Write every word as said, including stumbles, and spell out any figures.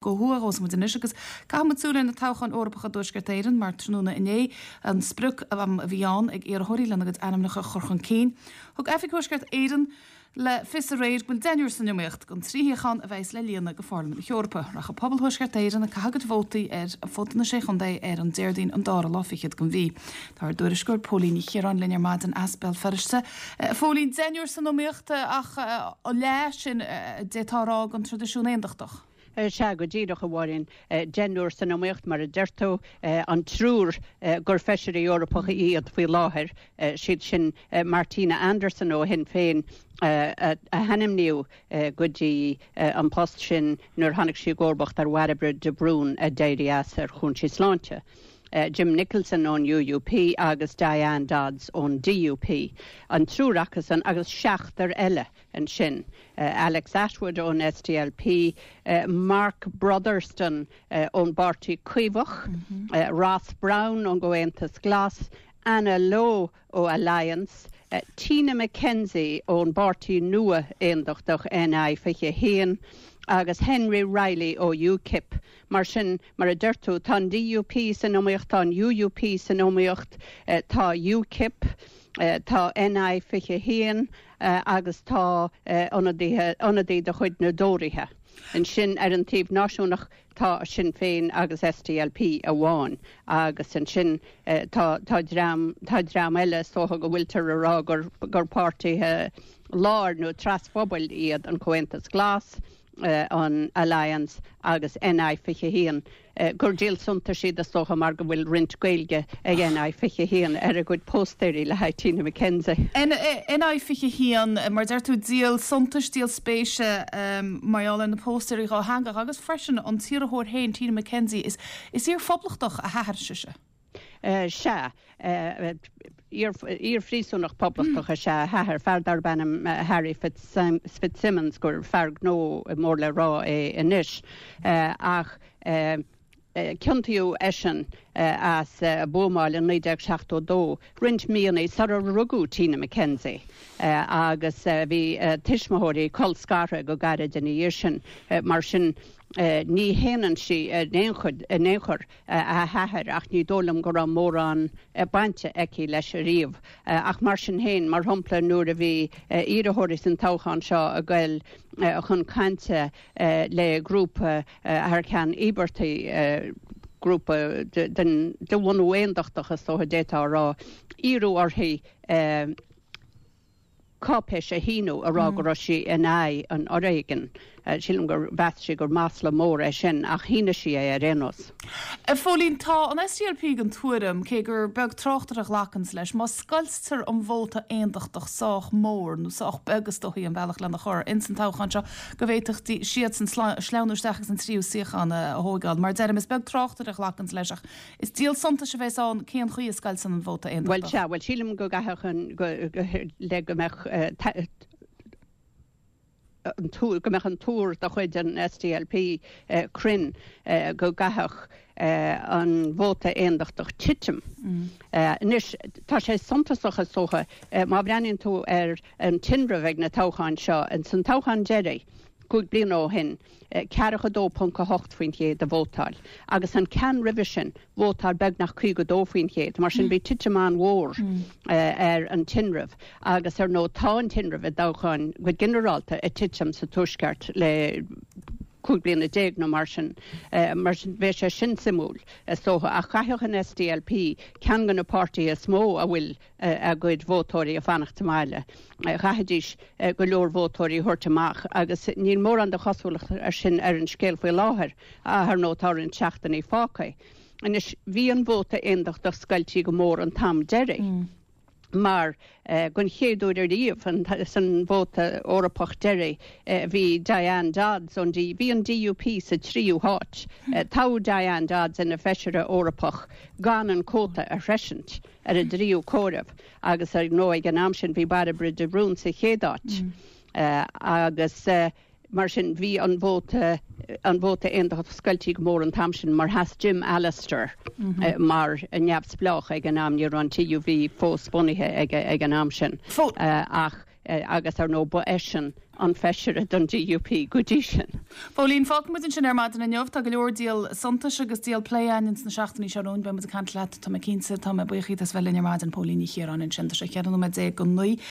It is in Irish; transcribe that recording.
Ó thuaidh gabhfaidh muid anois agus caithfidh muid súil ar na toghcháin Eorpacha i dTuaisceart Éireann mar tráthnóna inné an sprioc am a bhí ann ag iarrthóirí lena gcuid ainmneacha a chur chun cinn. Thug Oifig Thuaisceart Éireann le fios aréir go bhfuil deichniúr san iomaíocht don trí shuíochán a bheas le líonadh go Pharlaimint na hEorpa. Rachaidh pobal Thuaisceart Éireann ag caitheamh a gcuid vótaí ar fud na Sé Chontae ar an Déardaoin an dara lá fichead den mhí. Tá ár dtuairisceoir Póilín Ní Chiaráin linn ar maidin as Béal Feirste. Phóilín deichniúr san iomaíocht ach leath sin d'fhéadfá a rá den traidisiún aondachtach. Sea, go díreach, a Mháirín. Deichniúr san iomaíocht, mar a deir tú, an triúr gur feisirí Eorpacha iad faoi láthair, siad sin Martina Anderson ó Shinn Féin a hainmníodh go dtí an post sin nuair tháinig sí i gcomharbacht ar Bhairbre de Brún a d'éirigh as ar chúinsí sláinte. Jim Nicholson ón UUP agus Diane Dodds ón DUP. An triúr acusan agus seachtar eile ansin, Alex Attwood ón SDLP, Mark Brotherston ón bPáirtí Caomhach, Ross Brown ón gComhaontas Glas, Anna Lo ó Alliance, Tina McKenzie ón bPáirtí Nua Aondachtach NI fiche a haon agus Henry Reilly ó UKIP. Mar sin, mar a deir tú, tá an DUP san iomaíocht, tá an UUP san iomaíocht, tá UKIP, tá NI fiche a haon agus tá ionadaithe, ionadaí de chuid na dTóraithe. Ansin ar an taobh náisiúnach tá Sinn Féin agus SDLP amháin agus ansin tá tá dream tá dream eile is dócha go bhfuiltear a rá gur gur páirtithe láir nó trasphobail iad an Comhaontas Glas, an Alliance agus NI fiche a haon, gur díol suntais iad is dócha mar go bhfuil roinnt Gaeilge ag NI fiche a haon ar a gcuid póstaeirí le haghaidh Tina McKenzie. NI fiche a haon, mar deir tú, díol suntais, díol spéise mar gheall ar na póstaeirí dhátheangach agus freisin an t-iarrthóir féin, Tina McKenzie, is is iar-phoblachtach a hathair sise. Sea. Iar-phríosúnach poblachtach is ea a hathair, fear darb ainm Harry Fitzsimmons, gur fear gnó mór le rá é anois, ach ciontaíodh eisean as buamáil in naoi déag seachtó dó, roinnt míonna sular rugadh Tina McKenzie, agus bhí a tuismitheoirí colscartha go gairid ina dhiaidh sin. Mar sin, Ní shéanann sí in aon chor a hathair ach ní dóigh liom go raibh mórán bainte aici leis ariamh. Ach mar sin féin, mar shampla nuair a bhí iarrthóirí san toghchán seo ag goil chun cainte le grúpa thar ceann íobartaigh, grúpa de bhunú aondachtach is dócha d'fhéadfá a rá, iarradh uirthi cáipéis a shíniú a rá go raibh sí in aghaidh an fhoréigin. Sílim gur mheas sí gur masla mór é sin ach shínigh sí é ar aon nós. A Phóilín, tá an SDLP den tuairim, cé gur beag tráchtaire a ghlacanns leis, má scoiltear an vóta aondachtach sách mór, nó sách beag is dóichí an bealach lena chur, ins an toghchán seo, go bhféadfadh siadsan sleamhnú isteach agus an tríú suíochán a thóigeáil. Mar a deirim, is beag tráchtaire a ghlacanns leis ach Is díol suntais a bheas ann cén chaoi a scoilteann an vóta Bhuel, aondachtach. sea, bhuel, sílim go gcaithfeadh an, go, le go mbeadh an tuar, go mbeadh an tuar de chuid an SDLP cruinn, go gcaithfeadh an vóta aondachtach titim. Anois, tá sé suntasach, is dócha, má bhreathnaíonn tú ar an tinreamh ag na toghcháin seo, ins an toghchán deiridh, cúig bliana ó shin, ceathracha dó ponc a hocht faoin chéad a vótáil, agus an ceann roimhe sin, vótáil beagnach caoga dó faoin chéad. Mar sin, bhí titim an-mhór ar an tinreamh, agus ar ndóigh tá an tinreamh i dtoghcháin go ginearálta ag titim sa Tuaisceart le cúig bliana déag nó mar sin. Mar sin, bheadh sé sin suimiúil, is dócha. Ach chaithfeadh an SDLP, ceann de na páirtithe is mó a bhfuil a gcuid vótóirí ag fanacht sa mbaile, chaithfidís go leor vótóirí a thabhairt amach agus níl mórán de chosúlacht ar sin ar an scéal faoi láthair, ach ar ndóigh tá roinnt seachtainí fágtha. Anois, bhí an vóta aondachtach scoiltí go mór an t-am deiridh mar don chéad uair ariamh san vóta Eorpach deiridh bhí Diane Dodds ón bhí an DUP sa tríú háit. Toghadh Diane Dodds ina feisire Eorpach gan an cuóta a shroisint. ar an dtríú comhaireamh agus ar ndóigh ag an am sin bhí Bairbre de Brún sa chéad áit agus mar sin bhí an vóta an vóta aondachtach scoiltí go mór an t-am sin mar sheas Jim Allister mar neamhspleách ag an am, ní raibh an TUV fós bunaithe ag an am sin ach agus ar ndóigh ba eisean an feisire don D U P go dtí sin. Póilín, fágfaimid ansin ar maidin inniu. Tá go leor díol suntais agus díol plé ann sna seachtainí seo romhainn. Beidh muid ag caint leat, tá mé cinnte. Tá mé buíoch as bheith linn ar maidin. Póilín Ní Chiaráin ansin. Tá sé ceithre nóiméad déag go naoi.